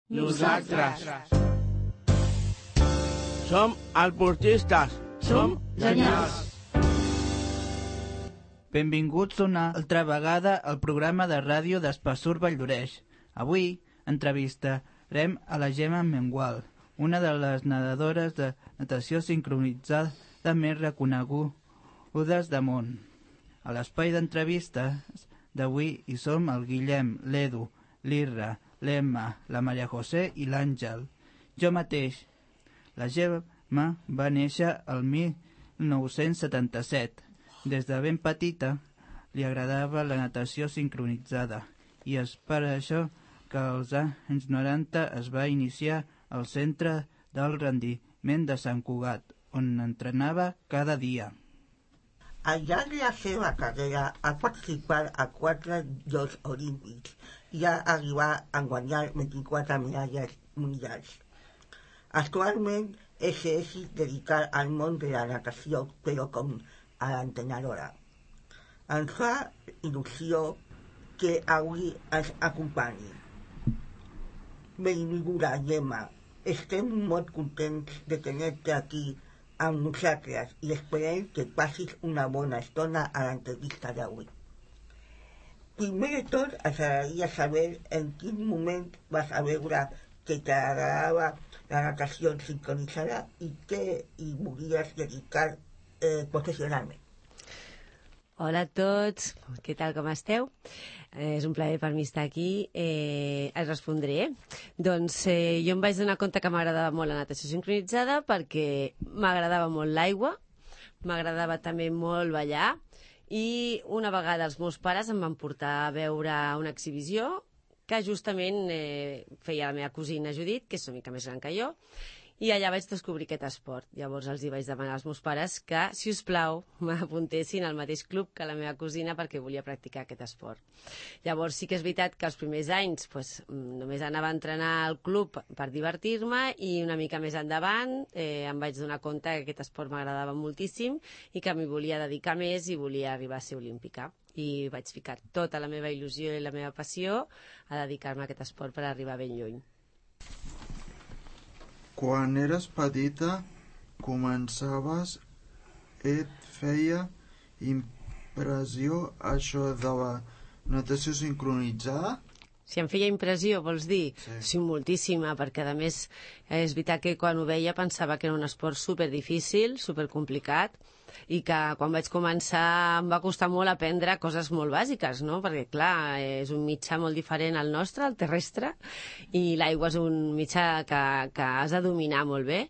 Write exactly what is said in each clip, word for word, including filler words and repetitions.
Nosaltres. Som alportistes. Som genials. Benvinguts una altra vegada al programa de ràdio d'Espassur Valldoreix. Avui entrevistarem a la Gemma Mengual, una de les nedadores de natació sincronitzada més reconegudes de món. A l'espai d'entrevistes d'avui hi som el Guillem, l'Edu, l'Irra, l'Emma, la Maria José i l'Àngel. Jo mateix. La Gemma va néixer el mil nou-cents setanta-set. Des de ben petita li agradava la natació sincronitzada i és per això que als anys noranta es va iniciar al Centre del Rendiment de Sant Cugat, on entrenava cada dia. Al llarg de la seva carrera ha participat a quatre Jocs Olímpics i ha arribat a guanyar vint-i-quatre medalles mundials. Actualment és s'és dedicat al món de la natació, però com a l'entrenadora. Ens fa il·lusió que avui ens acompanyi. Benvinguda, Gemma. Estem molt contents de tenir-te aquí amb nosaltres i esperem que passis una bona estona a l'entrevista d'avui. Primer de tot, ens agradaria saber en quin moment vas a veure que t'agradava la natació sincronitzada i què hi volies dedicar eh, professionalment. Hola a tots, què tal, com esteu? Eh, és un plaer per mi estar aquí. Eh, es respondré. Doncs eh, jo em vaig donar compte que m'agradava molt la natació sincronitzada perquè m'agradava molt l'aigua, m'agradava també molt ballar i una vegada els meus pares em van portar a veure una exhibició que justament eh, feia la meva cosina Judit, que és una mica més gran que jo, i allà vaig descobrir aquest esport. Llavors els hi vaig demanar als meus pares que, si us plau, m'apuntessin al mateix club que la meva cosina perquè volia practicar aquest esport. Llavors sí que és veritat que els primers anys pues, només anava a entrenar al club per divertir-me i una mica més endavant eh, em vaig donar compte que aquest esport m'agradava moltíssim i que m'hi volia dedicar més i volia arribar a ser olímpica. I vaig ficar tota la meva il·lusió i la meva passió a dedicar-me a aquest esport per arribar ben lluny. Quan eres petita, començaves, et feia impressió això de la natació sincronitzada? Si em feia impressió, vols dir? Sí. Sí, moltíssima, perquè a més és veritat que quan ho veia pensava que era un esport superdifícil, supercomplicat, i que quan vaig començar em va costar molt aprendre coses molt bàsiques, no? Perquè, clar, és un mitjà molt diferent al nostre, el terrestre, i l'aigua és un mitjà que, que has de dominar molt bé.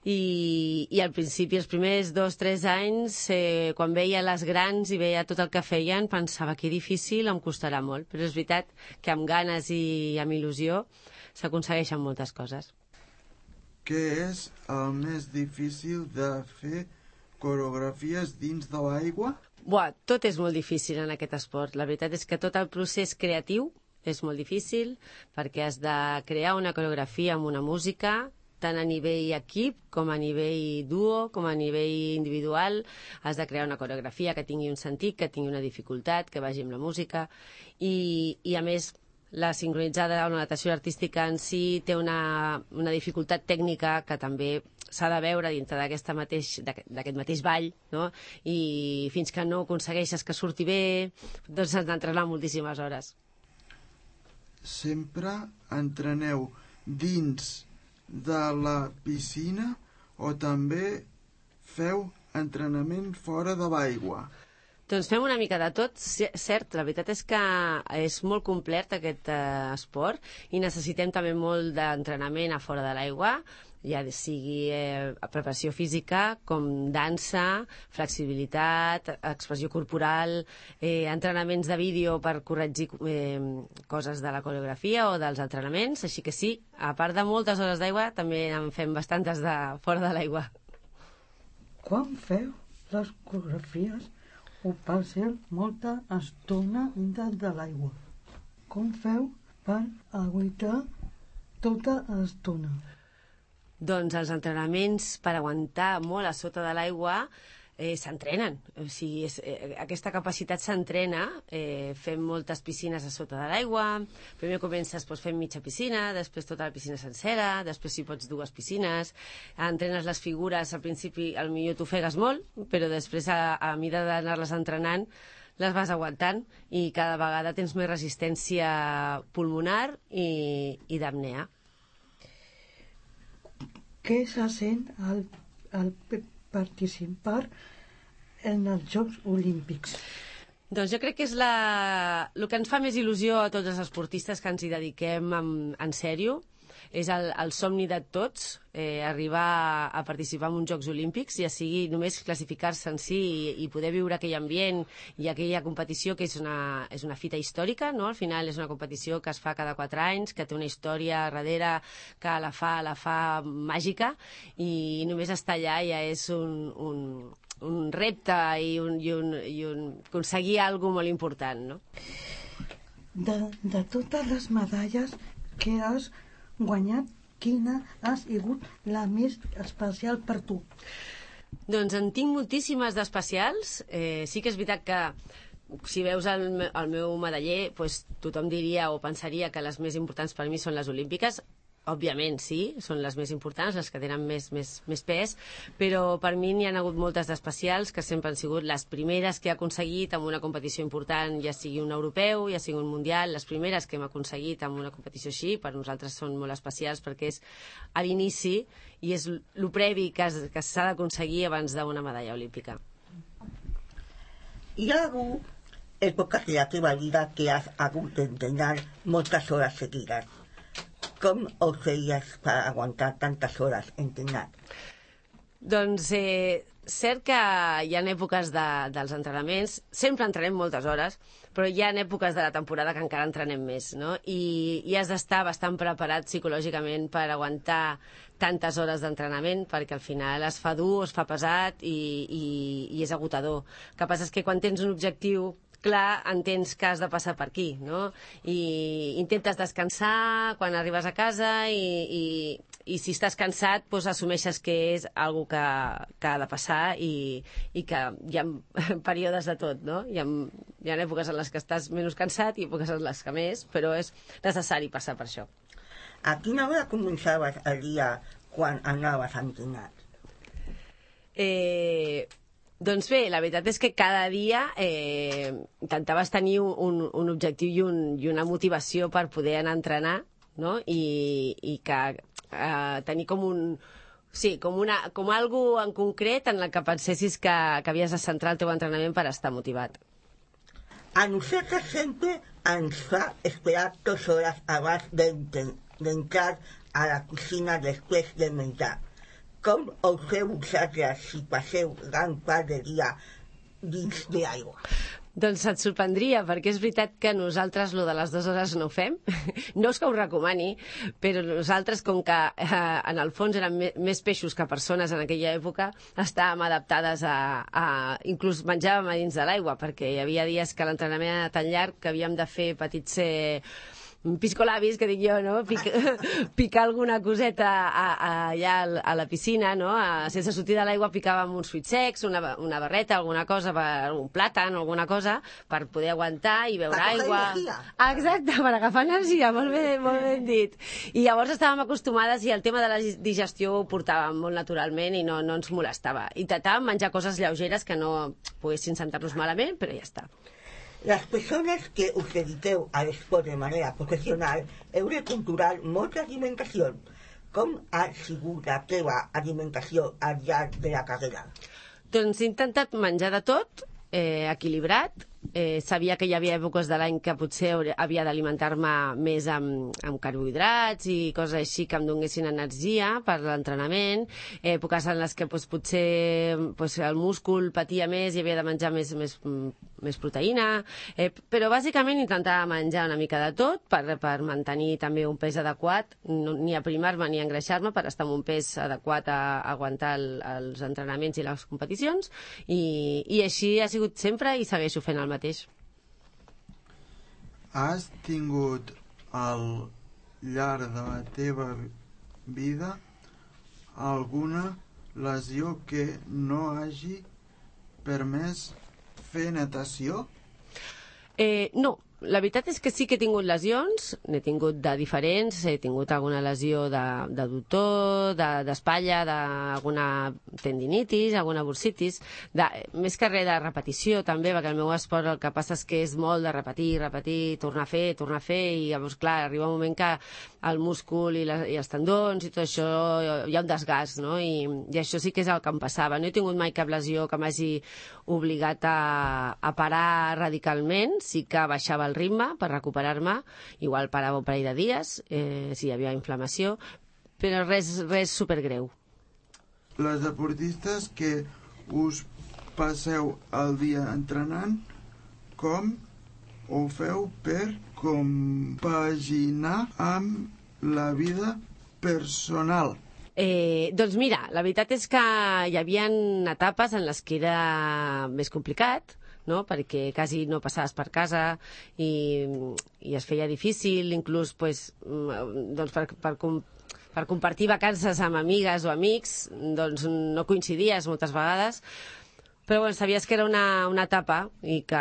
I, i al principi, els primers dos o tres anys, eh, quan veia les grans i veia tot el que feien, pensava que difícil, em costarà molt. Però és veritat que amb ganes i amb il·lusió s'aconsegueixen moltes coses. Què és el més difícil de fer coreografies dins de l'aigua? Buah, tot és molt difícil en aquest esport. La veritat és que tot el procés creatiu és molt difícil perquè has de crear una coreografia amb una música, tant a nivell equip com a nivell duo, com a nivell individual. Has de crear una coreografia que tingui un sentit, que tingui una dificultat, que vagi amb la música. I, i a més, la sincronitzada o la natació artística en si té una, una dificultat tècnica que també s'ha de veure dintre d'aquest mateix, d'aquest mateix ball, no? I fins que no aconsegueixes que surti bé, doncs has d'entrenar moltíssimes hores. Sempre entreneu dins de la piscina o també feu entrenament fora de l'aigua? Doncs fem una mica de tot, cert, la veritat és que és molt complet aquest eh, esport i necessitem també molt d'entrenament a fora de l'aigua, ja sigui eh, preparació física, com dansa, flexibilitat, expressió corporal, eh, entrenaments de vídeo per corregir eh, coses de la coreografia o dels entrenaments, així que sí, a part de moltes hores d'aigua, també en fem bastantes de fora de l'aigua. Quan feu les coreografies ho passen molta estona dintre de l'aigua? Com feu per aguantar tota l'estona? Doncs els entrenaments per aguantar molt a sota de l'aigua eh, s'entrenen. O sigui, és, eh, aquesta capacitat s'entrena, eh, fem moltes piscines a sota de l'aigua, primer comences doncs, fent mitja piscina, després tota la piscina sencera, després si pots dues piscines, entrenes les figures, al principi al millor t'ofegues molt, però després a, a mida d'anar-les entrenant les vas aguantant i cada vegada tens més resistència pulmonar i, i d'apnea. Què se sent al, al participar en els Jocs Olímpics? Doncs jo crec que és la... el que ens fa més il·lusió a tots els esportistes que ens hi dediquem en, en sèrio. És el, el somni de tots, eh, arribar a, a participar en uns Jocs Olímpics, ja sigui només classificar-se en si i, i poder viure aquell ambient i aquella competició que és una, és una fita històrica, no? Al final és una competició que es fa cada quatre anys, que té una història darrere que la fa, la fa màgica, i només estar allà ja és un, un, un repte i, un, i, un, i un, aconseguir alguna molt important, no? De, de totes les medalles que has guanyat, quina ha sigut la més especial per tu? Doncs en tinc moltíssimes d'especials. Eh, sí que és veritat que si veus el, el meu medaller, doncs tothom diria o pensaria que les més importants per mi són les olímpiques. Òbviament, sí, són les més importants, les que tenen més, més, més pes, però per mi n'hi ha hagut moltes d'especials que sempre han sigut les primeres que he aconseguit en una competició important, ja sigui un europeu, ja sigui un mundial, les primeres que hem aconseguit en una competició així, per nosaltres són molt especials perquè és a l'inici i és el previ que, es, que s'ha d'aconseguir abans d'una medalla olímpica. Hi ha hagut èpoques de la teva vida que has hagut d'entrenar moltes hores seguides. Com ho feies per aguantar tantes hores entrenant? Doncs eh, cert que hi ha èpoques de, dels entrenaments, sempre entrenem moltes hores, però hi ha èpoques de la temporada que encara entrenem més, no? I, i has d'estar bastant preparat psicològicament per aguantar tantes hores d'entrenament, perquè al final es fa dur, es fa pesat i, i, i és agotador. El que passa és que quan tens un objectiu clar, entens que has de passar per aquí, no? I intentes descansar quan arribes a casa i, i, i si estàs cansat, doncs assumeixes que és algo que, que ha de passar i, i que hi ha períodes de tot, no? Hi ha, hi ha èpoques en les que estàs menys cansat i èpoques en les que més, però és necessari passar per això. A quina hora començaves el dia quan anaves a entrenar? Eh... Doncs bé, la veritat és que cada dia eh, intentaves tenir un, un objectiu i, un, i una motivació per poder anar a entrenar, no? I, i que eh, tenir com un... Sí, com, una, com algo en concret en la que pensessis que, que havies de centrar el teu entrenament per estar motivat. A nosaltres sempre ens fa esperar dues hores abans d'entrar a la cuina després de menjar. Com ho feu vosaltres si passeu gran part del dia dins de l'aigua? Doncs et sorprendria, perquè és veritat que nosaltres lo de les dues hores no ho fem. No és que ho recomani, però nosaltres, com que eh, en el fons eren més peixos que persones en aquella època, estàvem adaptades a... a inclús menjàvem a dins de l'aigua, perquè hi havia dies que l'entrenament era tan llarg que havíem de fer petits... Eh, piscolabis, que dic jo, no? Pic, picar alguna coseta a, a, allà a la piscina, no? A, sense sortir de l'aigua picàvem uns fruits secs, una, una barreta, alguna cosa, per, un plàtan o alguna cosa, per poder aguantar i beure per aigua. Energia. Exacte, per agafar energia, molt ben, molt ben dit. I llavors estàvem acostumades i el tema de la digestió ho portàvem molt naturalment i no, no ens molestava. Intentàvem menjar coses lleugeres que no poguessin sentar-nos malament, però ja està. Les persones que us dediqueu a l'esport de manera professional heu de controlar molta alimentació. Com ha sigut la teva alimentació al llarg de la carrera? Doncs he intentat menjar de tot, eh, equilibrat. Eh, sabia que hi havia èpoques de l'any que potser havia d'alimentar-me més amb, amb carbohidrats i coses així que em donessin energia per l'entrenament, èpoques en les que doncs, potser doncs, el múscul patia més i havia de menjar més, més, més proteïna, eh, però bàsicament intentava menjar una mica de tot per, per mantenir també un pes adequat, no, ni aprimar-me ni engreixar-me, per estar amb un pes adequat a, a aguantar el, els entrenaments i les competicions, i, i així ha sigut sempre i segueixo fent el mateix. Has tingut al llarg de la teva vida alguna lesió que no hagi permès fer natació? Eh, no, la veritat és que sí que he tingut lesions, n'he tingut de diferents, he tingut alguna lesió de, de doctor, d'espatlla, de, d'alguna tendinitis, alguna bursitis, de, més que res de repetició també, perquè el meu esport el que passa és que és molt de repetir, repetir, tornar a fer, tornar a fer, i llavors, clar, arriba un moment que el múscul i, la, i els tendons i tot això hi ha un desgast, no? I, i això sí que és el que em passava. No he tingut mai cap lesió que m'hagi obligat a, a parar radicalment, sí que baixava el ritme per recuperar-me, igual parava un parell de dies, eh, si hi havia inflamació, però res, res supergreu. Les deportistes que us passeu el dia entrenant, com ho feu per compaginar amb la vida personal? Eh, doncs mira, la veritat és que hi havia etapes en les que era més complicat, no? Perquè quasi no passaves per casa i, i es feia difícil, inclús pues, doncs per, per, per compartir vacances amb amigues o amics, doncs no coincidies moltes vegades, però bueno, sabies que era una, una etapa i que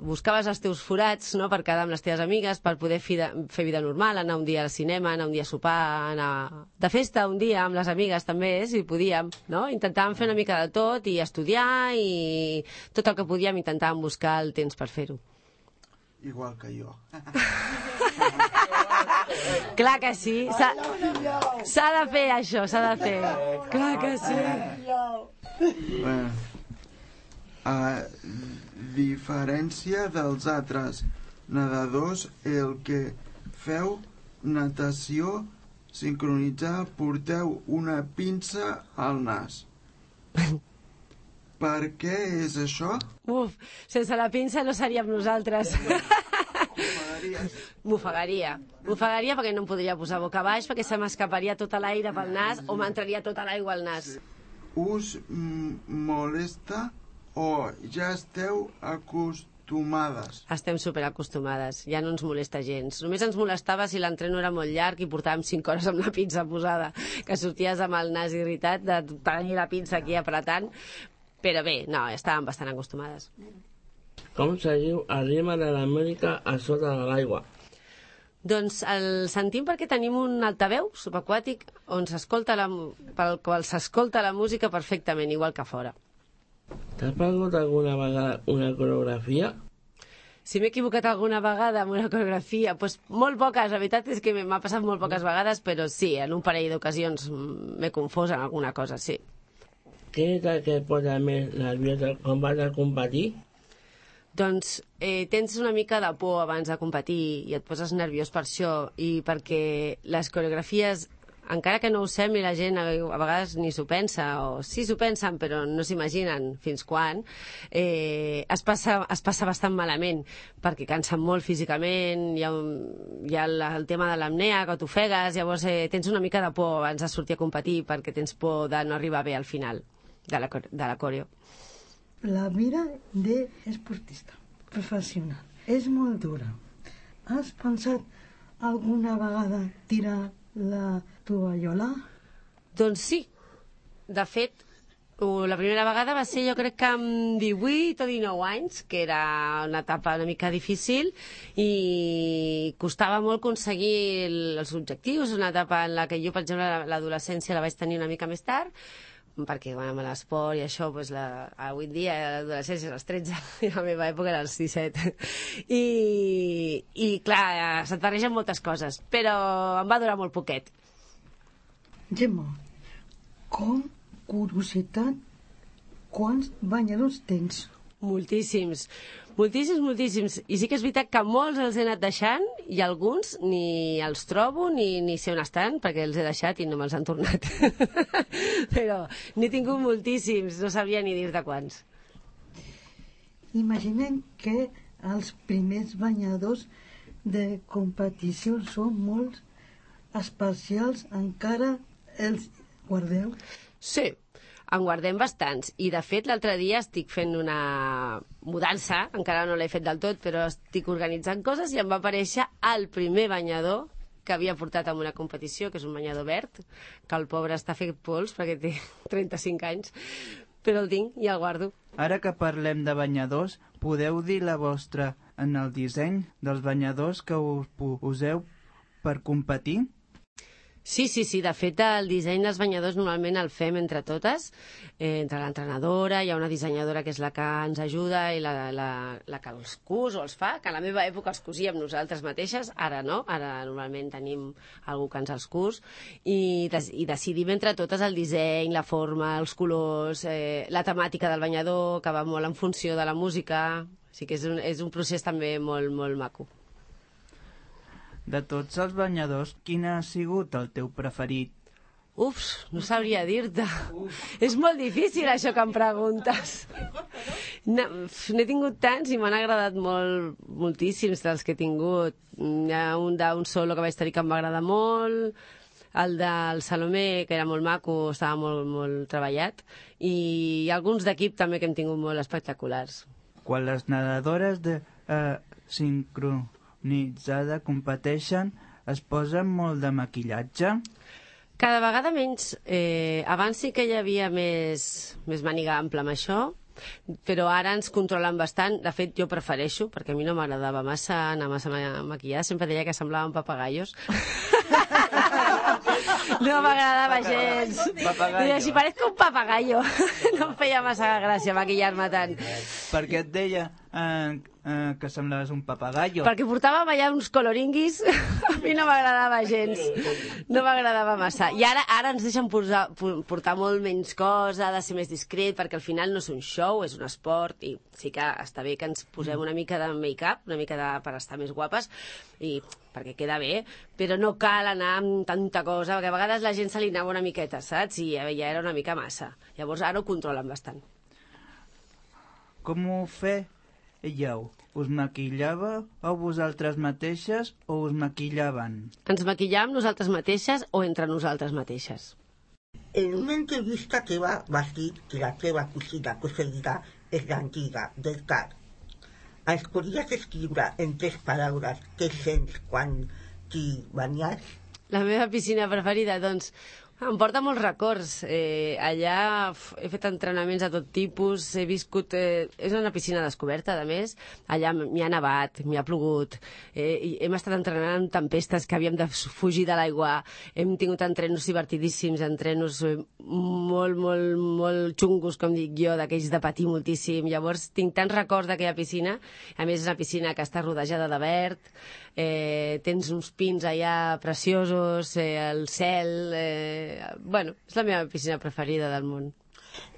buscaves els teus forats, no?, per quedar amb les teves amigues, per poder fi de, fer vida normal, anar un dia al cinema, anar un dia a sopar, anar de festa un dia amb les amigues també, si podíem, no? Intentàvem fer una mica de tot i estudiar i tot el que podíem intentàvem buscar el temps per fer-ho. Igual que jo. Clar que sí, s'ha de fer això, s'ha de fer. Clar que sí. Bueno, a diferència dels altres nedadors, el que feu natació sincronitzada porteu una pinça al nas. Per què és això? Uf, sense la pinça no seríem nosaltres. M'ofegaria. M'ofegaria perquè no em podria posar boca baix, perquè se m'escaparia tot l'aire pel nas o m'entraria tota l'aigua al nas. Us molesta o ja esteu acostumades? Estem superacostumades, ja no ens molesta gens. Només ens molestava si l'entreno era molt llarg i portàvem cinc hores amb la pinça posada, que sorties amb el nas irritat de tenir la pinça aquí apretant, però bé, no, estàvem bastant acostumades. Com seguiu el ritme de la música a sota de l'aigua? Doncs el sentim perquè tenim un altaveu subaquàtic on s'escolta la, pel qual s'escolta la música perfectament, igual que fora. T'has perdut alguna vegada una coreografia? Si m'he equivocat alguna vegada amb una coreografia, doncs molt poques, la veritat és que m'ha passat molt poques vegades, però sí, en un parell d'ocasions m'he confós en alguna cosa, sí. Què és el que et posa més nerviosa quan vas a competir? Doncs eh, tens una mica de por abans de competir i et poses nerviós per això i perquè les coreografies, encara que no ho sembli, la gent a, a vegades ni s'ho pensa, o sí s'ho pensen però no s'imaginen fins quan, eh, es, passa, es passa bastant malament perquè cansen molt físicament, hi ha, un, hi ha el, el tema de l'apnea, que t'ofegues, llavors eh, tens una mica de por abans de sortir a competir perquè tens por de no arribar bé al final de la, de la coreo. La vida d'esportista professional és molt dura. Has pensat alguna vegada tirar la tovallola? Doncs sí. De fet, la primera vegada va ser, jo crec que amb divuit o dinou anys, que era una etapa una mica difícil i costava molt aconseguir els objectius, una etapa en la que jo, per exemple, l'adolescència la vaig tenir una mica més tard, perquè bueno, amb l'esport i això, doncs, la, avui en dia l'adolescència és als tretze i la meva època era als disset. I, i clar, se't barregen moltes coses, però em va durar molt poquet. Gemma, com curiositat, quants banyadors tens? Moltíssims, moltíssims, moltíssims. I sí que és veritat que molts els he anat deixant i alguns ni els trobo ni, ni sé on estan perquè els he deixat i no me'ls han tornat. Però n'he tingut moltíssims, no sabia ni dir-te quants. Imaginem que els primers banyadors de competició són molt especials, encara els guardeu? Sí, en guardem bastants i de fet l'altre dia estic fent una mudança, encara no l'he fet del tot però estic organitzant coses i em va aparèixer el primer banyador que havia portat a una competició, que és un banyador verd, que el pobre està fet pols perquè té trenta-cinc anys, però el tinc i el guardo. Ara que parlem de banyadors, podeu dir la vostra en el disseny dels banyadors que us poseu per competir? Sí, sí, sí. De fet, el disseny dels banyadors normalment el fem entre totes, eh, entre l'entrenadora, hi ha una dissenyadora que és la que ens ajuda i la, la, la que els cus o els fa, que a la meva època els cosíem nosaltres mateixes, ara no, ara normalment tenim algú que ens els cus, i, des, i decidim entre totes el disseny, la forma, els colors, eh, la temàtica del banyador, que va molt en funció de la música, o sigui que és un, és un procés també molt, molt maco. De tots els banyadors, quin ha sigut el teu preferit? Uf, no sabria dir-te. És molt difícil això que em preguntes. No, n'he tingut tants i m'han agradat molt, moltíssims dels que he tingut. Hi ha un d'un solo que vaig tenir que em va agradar molt, el del Salomé, que era molt maco, estava molt, molt treballat, i alguns d'equip també que hem tingut molt espectaculars. Quan les nedadores de eh, sincronitzada competeixen, es posen molt de maquillatge? Cada vegada menys. Eh, abans sí que hi havia més, més màniga ampla amb això, però ara ens controlen bastant. De fet, jo prefereixo, perquè a mi no m'agradava massa anar massa maquillada. Sempre deia que semblaven papagallos. No m'agradava gens. Deia, si parezco un papagallo. No em feia massa gràcia maquillar-me tant. Per què et deia eh, eh, que semblaves un papagallo? Perquè portàvem allà uns coloringuis. A mi no m'agradava gens. No m'agradava massa. I ara ara ens deixen posar, portar molt menys cosa, ha de ser més discret, perquè al final no és un show, és un esport, i sí que està bé que ens posem una mica de make-up, una mica de, per estar més guapes, i perquè queda bé, però no cal anar amb tanta cosa, perquè a vegades la gent se li anava una miqueta, saps? I ja era una mica massa. Llavors ara ho controlen bastant. Com ho fèieu? Us maquillàveu a vosaltres mateixes o us maquillaven? Ens maquillàvem nosaltres mateixes o entre nosaltres mateixes. En una entrevista que va dir que la teva cosina preferida és l'antiga del car. Ens podries escriure en tres paraules què sents quan t'hi banyes? La meva piscina preferida, doncs, em porta molts records. Eh, allà uf, he fet entrenaments de tot tipus, he viscut... Eh, és una piscina descoberta, a més. Allà m'hi ha nevat, m'hi ha plogut. Eh, i hem estat entrenant en tempestes que havíem de fugir de l'aigua. Hem tingut entrenos divertidíssims, entrenos molt, molt, molt xungos, com dic jo, d'aquells de patir moltíssim. Llavors, tinc tants records d'aquella piscina. A més, és una piscina que està rodejada de verd. Eh, tens uns pins allà preciosos, eh, el cel... Eh, bueno, és la meva piscina preferida del món.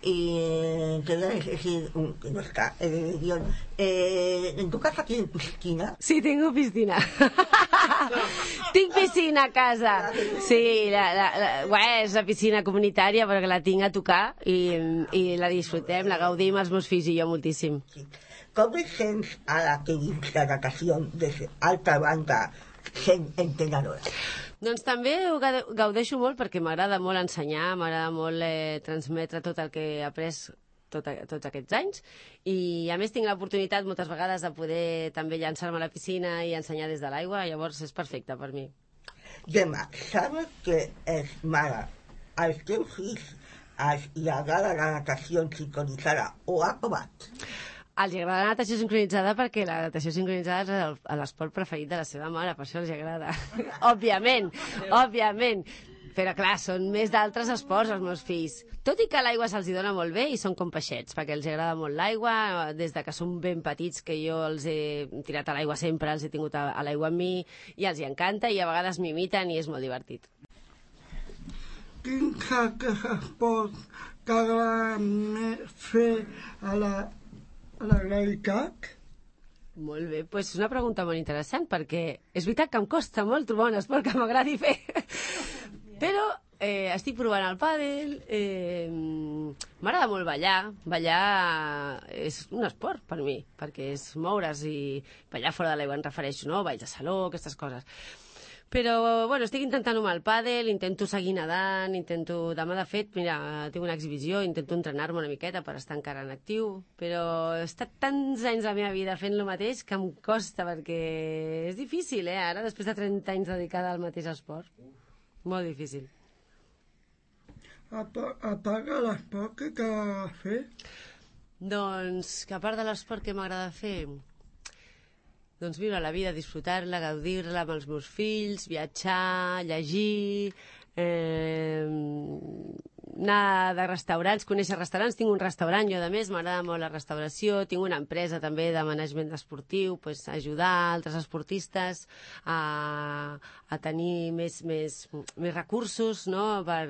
Y te voy a decir, un, que no está en el guión, eh, ¿en tu casa tienes piscina? Sí, tengo piscina. Tinc piscina a casa. Sí, la, la, la, bueno, és una piscina comunitària perquè la tinc a tocar i, i la disfrutem, la gaudim els meus fills i jo moltíssim. Sí. Com et sents ara que dins la natació des altra banda sent entrenadora? Doncs també ho gaudeixo molt perquè m'agrada molt ensenyar, m'agrada molt eh, transmetre tot el que he après tot, tots aquests anys, i a més tinc l'oportunitat moltes vegades de poder també llançar-me a la piscina i ensenyar des de l'aigua, llavors és perfecte per mi. Gemma, sabes que és mare. Als teus fills els agrada la natació sincronitzada o ha provat? Els agrada la natació sincronitzada perquè la natació sincronitzada és l'esport preferit de la seva mare, per això els agrada. Òbviament, òbviament. Però clar, són més d'altres esports els meus fills. Tot i que l'aigua se'ls dona molt bé i són com peixets, perquè els agrada molt l'aigua, des de que són ben petits, que jo els he tirat a l'aigua sempre, els he tingut a, a l'aigua amb mi, i els hi encanta, i a vegades m'imiten i és molt divertit. Quin esport t'agrada fer a la a la realitat? Molt bé, doncs és una pregunta molt interessant, perquè és veritat que em costa molt trobar un esport que m'agradi fer. Però eh, estic provant el pàdel, eh, m'agrada molt ballar. Ballar és un esport per mi, perquè és moure's i ballar fora de l'aigua, em refereixo, no? Balls de saló, aquestes coses. Però, bueno, estic intentant-ho amb el pàdel, intento seguir nedant, intento... Demà, de fet, mira, tinc una exhibició, intento entrenar-me una miqueta per estar encara en actiu, però he estat tants anys de la meva vida fent el mateix que em costa, perquè és difícil, eh, ara, després de trenta anys dedicada al mateix esport. Molt difícil. a, a part de l'esport que t'agrada fer? Doncs que a part de l'esport que m'agrada fer, doncs viure la vida, disfrutar-la, gaudir-la amb els meus fills, viatjar, llegir, eh, anar de restaurants, conèixer restaurants. Tinc un restaurant, jo a més, m'agrada molt la restauració, tinc una empresa també de management esportiu, pues, ajudar altres esportistes a, a tenir més, més, més recursos, no? per,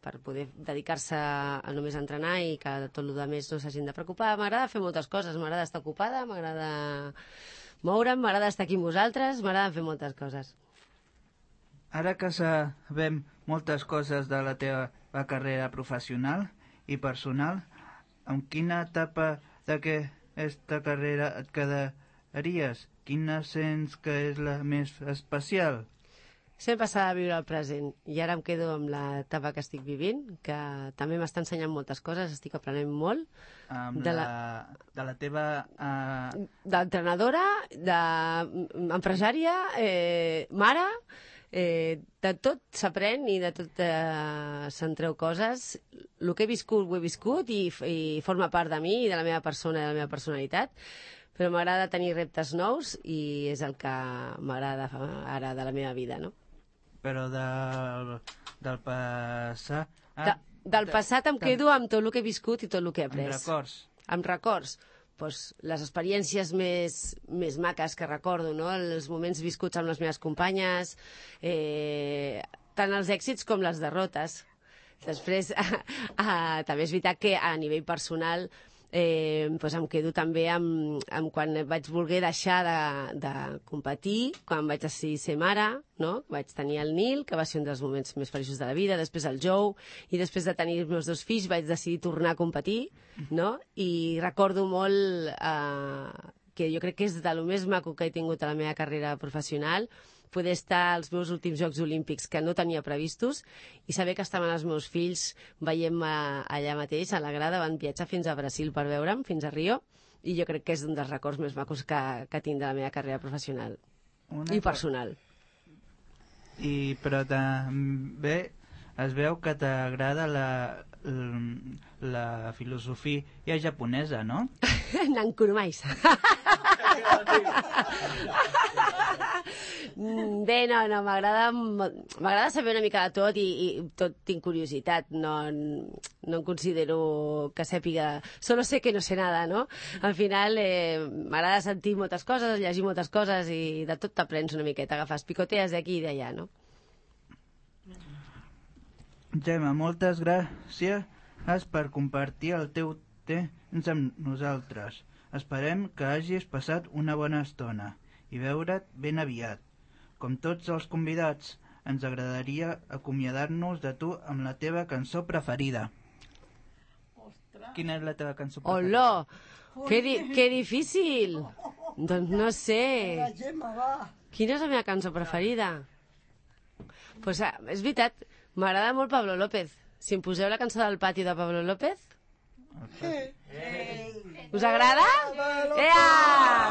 per poder dedicar-se a només entrenar i que tot el més no s'hagin de preocupar. M'agrada fer moltes coses, m'agrada estar ocupada, m'agrada moure'm, m'agrada estar aquí amb vosaltres, m'agrada fer moltes coses. Ara que sabem moltes coses de la teva carrera professional i personal, en quina etapa d'aquesta carrera et quedaries? Quina sents que és la més especial? Sempre s'ha de viure el present i ara em quedo amb l'etapa que estic vivint, que també m'està ensenyant moltes coses, estic aprenent molt. Amb de, la, la... de la teva... Uh... D'entrenadora, d'empresària, eh, mare... Eh, de tot s'aprèn i de tot eh, se'n treu coses. El que he viscut ho he viscut i, i forma part de mi i de la meva persona i de la meva personalitat, però m'agrada tenir reptes nous i és el que m'agrada ara de la meva vida, no? Però del, del passat... De, del passat em quedo amb tot el que he viscut i tot el que he après. Amb records. Amb records. Pues, les experiències més, més maques que recordo, no? Els moments viscuts amb les meves companyes, eh, tant els èxits com les derrotes. Després, eh, eh, també és veritat que a nivell personal eh, pues em quedo també amb, amb quan vaig voler deixar de, de competir, quan vaig decidir ser mare, no? Vaig tenir el Nil, que va ser un dels moments més feliços de la vida, després el Joe, i després de tenir els meus dos fills vaig decidir tornar a competir, no? I recordo molt eh, que jo crec que és de lo més maco que he tingut a la meva carrera professional, poder estar als meus últims Jocs Olímpics que no tenia previstos i saber que estaven els meus fills veient-me allà mateix, a la grada, van viatjar fins a Brasil per veure'm, fins a Rio, i jo crec que és un dels records més macos que, que tinc de la meva carrera professional Una i personal. I, però també es veu que t'agrada la, la filosofia japonesa, no? Nankurumais. Bé, no, no, m'agrada m'agrada saber una mica de tot i, i tot tinc curiositat, no, no em considero que sàpiga, solo sé que no sé nada, no? Al final eh, m'agrada sentir moltes coses, llegir moltes coses i de tot t'aprens una miqueta, agafes picotees d'aquí i d'allà, no? Gemma, moltes gràcies per compartir el teu temps amb nosaltres. Esperem que hagis passat una bona estona i veure't ben aviat. Com tots els convidats, ens agradaria acomiadar-nos de tu amb la teva cançó preferida. Ostres. Quina és la teva cançó preferida? Hola! Que, di que difícil! Doncs no sé. La Gemma, va. Quina és la meva cançó preferida? Pues, ah, és veritat, m'agrada molt Pablo López. Si em poseu la cançó del pati de Pablo López... Sí. Us agrada? Ea!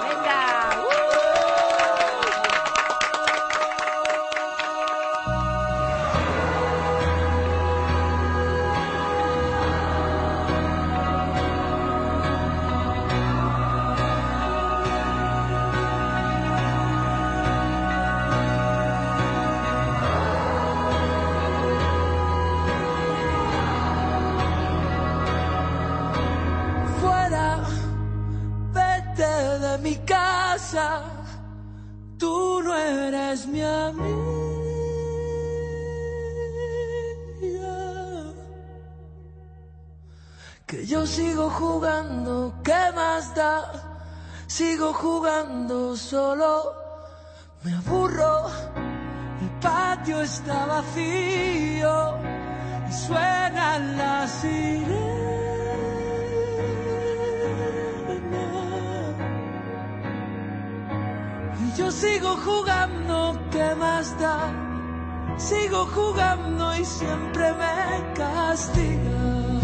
Vinga! Uh! Mi casa, tú no eres mi amiga, que yo sigo jugando, ¿qué más da? Sigo jugando solo, me aburro, el patio está vacío y suenan las sirenas. Yo sigo jugando, ¿qué más da? Sigo jugando y siempre me castiga.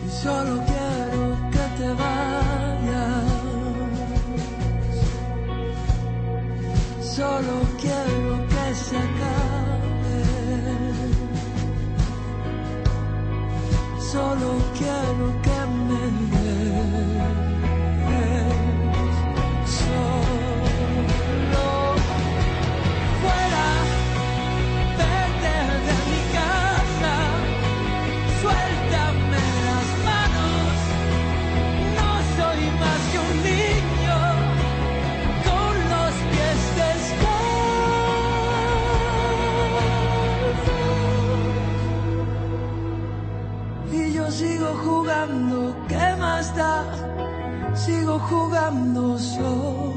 Y solo quiero que te vayas. Solo quiero que se acabe. solo quiero que me des. Solo fuera, vete de mi casa, suéltame las manos, no soy más que un niño con los pies descalzos. Y yo sigo jugando, ¿qué más da? Sigo jugando solo.